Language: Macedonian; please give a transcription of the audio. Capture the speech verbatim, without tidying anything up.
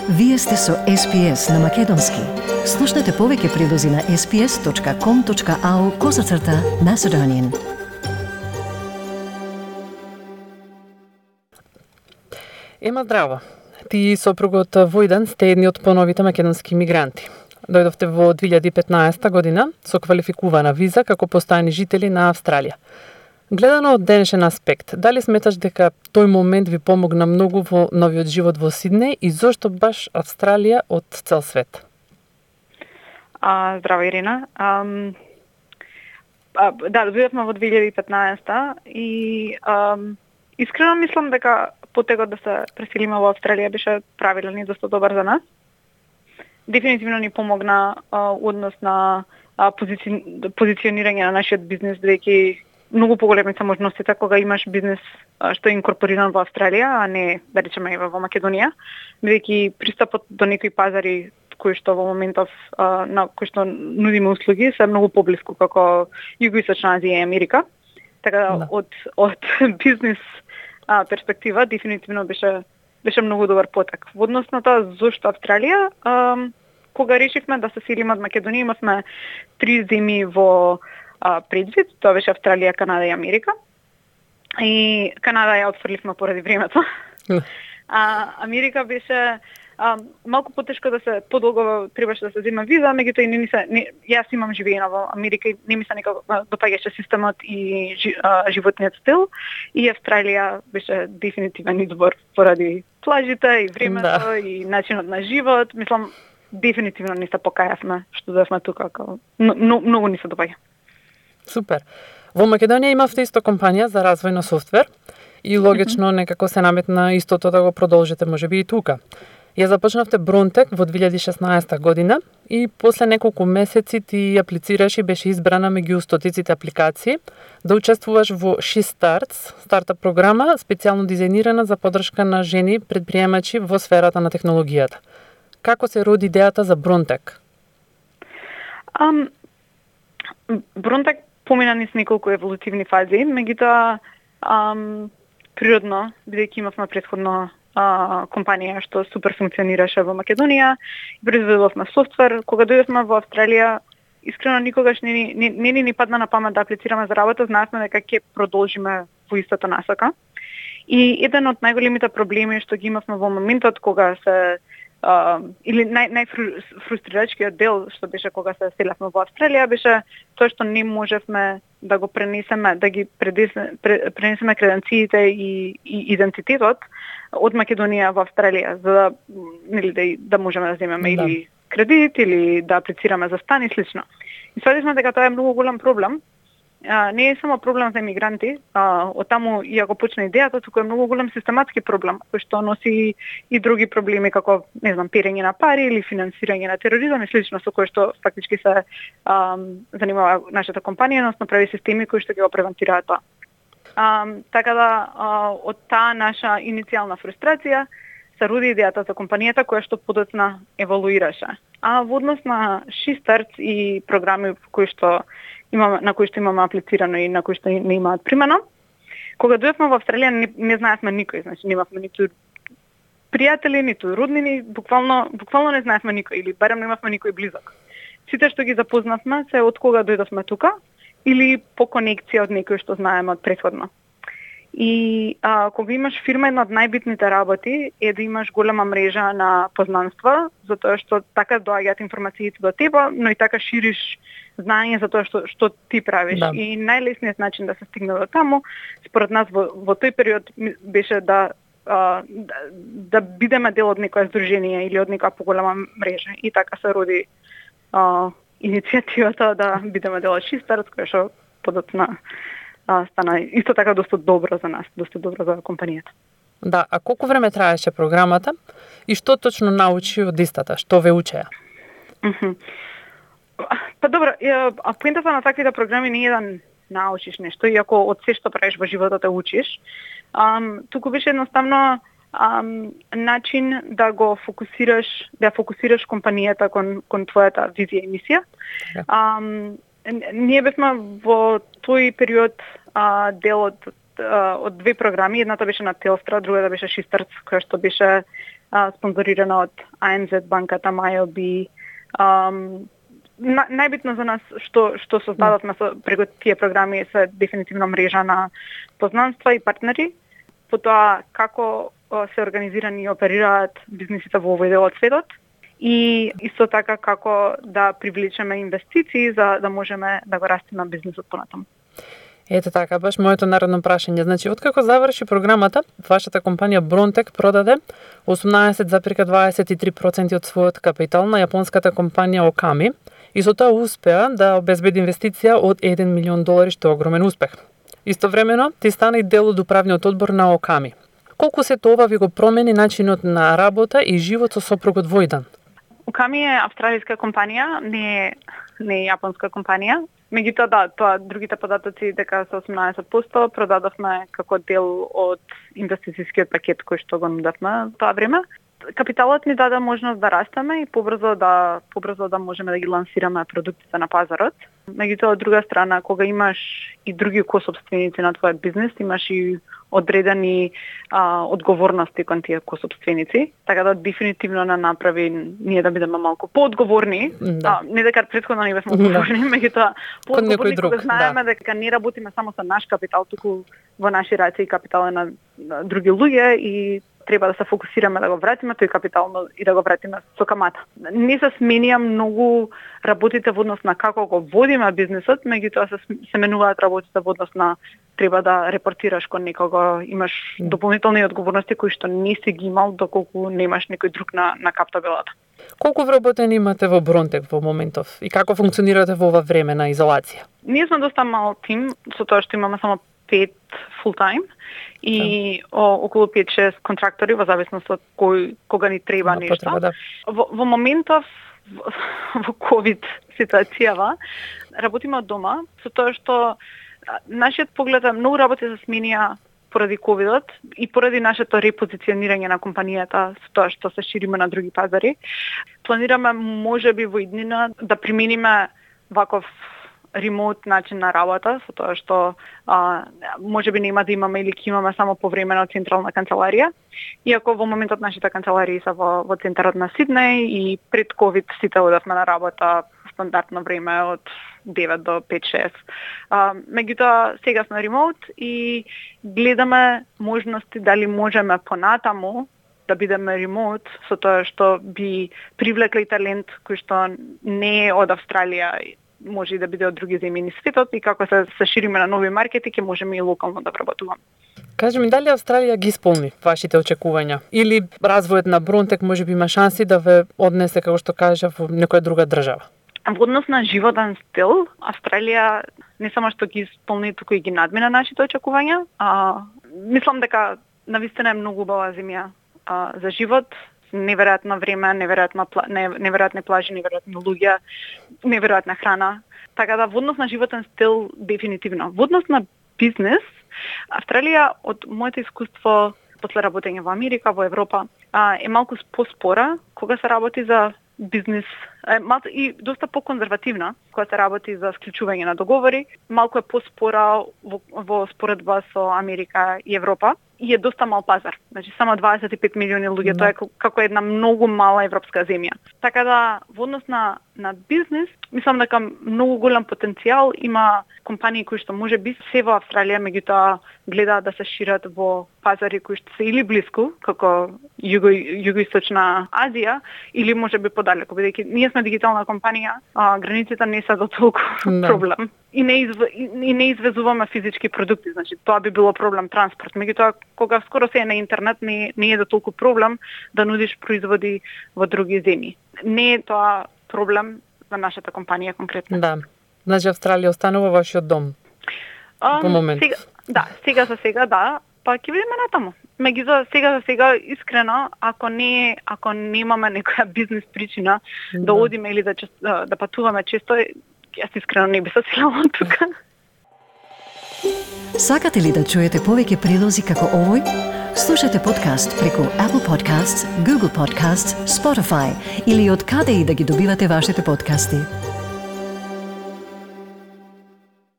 Вие сте со Ес Пи Ес на Македонски. Слушнете повеќе прилози на ес пи ес точка ком точка ау козацрта Macedonian. Ема здраво. Ти и сопругот Војдан сте едни од поновите македонски мигранти. Дојдовте во две илјади и петнаесета година со квалификувана виза како постојани жители на Австралија. Гледано од денешен аспект, дали сметаш дека тој момент ви помогна многу во новиот живот во Сиднеј и зошто баш Австралија од цел свет? А, здраво, Ирина. Ам, а, да, дојдовме во две илјади и петнаесета и ам, искрено мислам дека потегот да се преселиме во Австралија беше правилен и доста добар за нас. Дефинитивно ни помогна а, однос на а, позици... позиционирање на нашиот бизнес, бидејќи многу поголеми се можностите кога имаш бизнес а, што е инкорпориран во Австралија, а не, да речеме, во Македонија, бидејќи пристапот до некои пазари кои што во моментов а, на кои што нудиме услуги се многу поблиску како Југоисточна Азија и Америка. Така да, да. од од бизнес а, перспектива дефинитивно беше беше многу добар потек. Во однос на тоа зошто Австралија, а, кога решивме да се селиме од Македонија, имавме три земји во а, предвид, тоа беше Австралија, Канада и Америка. И Канада ја отфрливме поради времето. А Америка беше а, малку потешко да се подолго требаше да се зема виза, меѓутоа не ми се не, јас имам живеено во Америка и не ми се некако допаѓаше системот и жи, а, животниот стил и Австралија беше дефинитивен избор поради плажите и времето да. И начинот на живот. Мислам дефинитивно не се покајавме што дојавме тука, како но, многу ни се допаѓа. Супер. Во Македонија имавте исто компанија за развој на софтвер и логично mm-hmm. некако се наметна истото да го продолжите можеби и тука. Ја започнавте Бронтек во две илјади и шеснаесета година и после неколку месеци ти аплицираш и беше избрана меѓу стотиците апликации да учествуваш во She Starts, стартап програма специјално дизајнирана за поддршка на жени предприемачи во сферата на технологијата. Како се роди идејата за Бронтек? Um, Бронтек помина низ неколку еволутивни фази, меѓутоа um, природно, бидејќи имавме претходно а, компанија што супер функционираше во Македонија, произведувавме софтвер. Кога дојдовме во Австралија, искрено никогаш не ни не, не, не ни падна на памет да аплицираме за работа, знаевме дека ќе продолжиме во истата насока. И еден од најголемите проблеми што ги имавме во моментот кога се Uh, или нај, најфрустрирачкиот дел што беше кога се селевме во Австралија беше тоа што не можевме да го пренесеме, да ги предесне, пренесеме креденциите и, и идентитетот од Македонија во Австралија за да, нели, да, да можеме да земеме да. Или кредит или да аплицираме за стан и слично. И свативме дека тоа е многу голем проблем. А, не е само проблем за емигранти, а, од таму ја го почна идејата, туку е многу голем систематски проблем, кој што носи и други проблеми како, не знам, перење на пари или финансирање на тероризам и слично, со кој што фактички се а, занимава нашата компанија, односно прави системи кои што ги го превентираат тоа. А, така да, а, од таа наша иницијална фрустрација се роди идејата за компанијата која што подоцна еволуираше. А во однос на She Starts и програми кои што имаме, на кои што имаме аплицирано и на кои што не имаат примена. Кога дојдовме во Австралија не, не знаевме никој, значи немавме ниту пријатели, ниту роднини, буквално буквално не знаевме никој или барем немавме никој близок. Сите што ги запознавме се од кога дојдовме тука или по конекција од некој што знаеме од претходно. И а, кога имаш фирма, една од најбитните работи е да имаш голема мрежа на познанства, затоа што така доаѓаат информациите до тебе, но и така шириш знаење за тоа што што ти правиш. Да. И најлесниот начин да се стигне до таму, според нас во, во тој период беше да, а, да да бидеме дел од некоја здружение или од некоја поголема мрежа. И така се роди а, иницијативата да бидеме дел од She Starts, која што подоцна А, стана исто така доста добро за нас, доста добро за компанијата. Да, а колку време траеше програмата и што точно научи од истата, што ве учеа? Mm-hmm. Па добро, а поентата на таквите програми не е да научиш нешто, иако од се што правиш во животот те учиш. Ам, туку беше едноставно ам, начин да го фокусираш, да фокусираш компанијата кон кон твојата визија и мисија. Yeah. Ам, Ние бевме во тој период а, дел од, а, од две програми. Едната беше на Телстра, другата беше She Starts, која што беше а, спонзорирана од А Ен Зет банката, Мајоби. Um, на, најбитно за нас што што создадовме со преку тие програми се дефинитивно мрежа на познанства и партнери, потоа како се организирани и оперираат бизнисите во овој дел од светот и исто така како да привлечеме инвестиции за да можеме да го растиме бизнисот понатаму. Ете така, баш моето наредно прашање. Значи, откако заврши програмата, вашата компанија Бронтек продаде осумнаесет зарез дваесет и три проценти од својот капитал на јапонската компанија Оками и со тоа успеа да обезбеди инвестиција од еден милион долари, што е огромен успех. Истовремено, ти стана и дел од управниот одбор на Оками. Колку се тоа ви го промени начинот на работа и живот со сопругот во еден? Оками е австралиска компанија, не е, не е јапонска компанија. Меѓутоа, да, тоа другите податоци дека со осумнаесет проценти продадовме како дел од инвестицијскиот пакет кој што го нудевме тоа време. Капиталот ни даде можност да растеме и побрзо да побрзо да можеме да ги лансираме продуктите на пазарот. Меѓутоа, од друга страна, кога имаш и други косопственици на твојот бизнис, имаш и одредени а, одговорности кон тие косопственици, така да дефинитивно не направи ние да бидеме малку поодговорни, да. А, не дека претходно не бевме одговорни, да. Меѓутоа поодговорни кога знаеме да. Дека не работиме само со наш капитал, туку во наши раце и капитал на, на други луѓе и треба да се фокусираме да го вратиме тој капитал и да го вратиме со камата. Не се сменија многу работите во однос на како го водиме бизнисот, меѓутоа се, се менуваат работите во однос на треба да репортираш кон некого, имаш дополнителни одговорности кои што не си ги имал доколку немаш некој друг на, на каптабелата. Колку вработени имате во Бронтек во моментов и како функционирате во ова време на изолација? Ние сме доста мал тим, со тоа што имаме само пет full-time и да. о, околу пет-шест контрактори во зависност од кој кога ни треба да, нешто. Потреба, да. Во, во моментов во, во ковид ситуацијава работиме од дома, со тоа што нашиот поглед е многу работи се сменија поради ковидот и поради нашето репозиционирање на компанијата со тоа што се шириме на други пазари. Планираме можеби во иднина да примениме ваков ремоут начин на работа, со тоа што а, можеби нема да имаме или ќе имаме само повремено централна канцеларија. Иако во моментот нашите канцеларии се во, во центарот на Сиднеј и пред ковид сите одевме на работа стандардно време од девет до пет-шест. Меѓутоа, сега сме ремоут и гледаме можности дали можеме понатаму да бидеме ремоут, со тоа што би привлекли талент кој што не е од Австралија, може и да биде од други земји низ светот и како се, се шириме на нови маркети, ќе можеме и локално да вработуваме. Кажи ми, дали Австралија ги исполни вашите очекувања? Или развојот на Бронтек може би има шанси да ве однесе, како што кажа, во некоја друга држава? Во однос на животен стил, Австралија не само што ги исполни, туку и ги надмина нашите очекувања. А, мислам дека навистина е многу убава земја а, за живот, неверојатно време, неверојатно пла, неверојатни плажи, неверојатни луѓе, неверојатна храна. Така да во однос на животен стил дефинитивно. Во однос на бизнес, Австралија од моето искуство после работење во Америка, во Европа, е малку поспора кога се работи за бизнес, е, малку и доста поконзервативна кога се работи за склучување на договори, малку е поспора во, во споредба со Америка и Европа. И е доста мал пазар. Значи само дваесет и пет милиони луѓе, тоа е како една многу мала европска земја. Така да во однос на на бизнес, мислам дека многу голем потенцијал има компании кои што може би се во Австралија, меѓутоа гледаат да се шират во пазари кои што се или блиску, како југо југоисточна Азија, или може би подалеку, бидејќи ние сме дигитална компанија, а границите не се до толку да. Проблем. И не, изв... и не извезуваме физички продукти, значи тоа би било проблем транспорт. Меѓутоа, кога скоро се е на интернет, не, не е до толку проблем да нудиш производи во други земји. Не е тоа проблем за нашата компанија конкретно. Да. Значи Австралија останува вашиот дом. Um, по момент. Сега, да, сега за сега да, па ќе видиме натаму. Меѓутоа сега за сега искрено, ако не ако немаме некоја бизнес причина да, да одиме или да да патуваме често, јас искрено не би се селала тука. Сакате ли да чуете повеќе прилози како овој? Слушате подкаст преку Apple Podcasts, Google Podcasts, Spotify или од каде и да ги добивате вашите подкасти.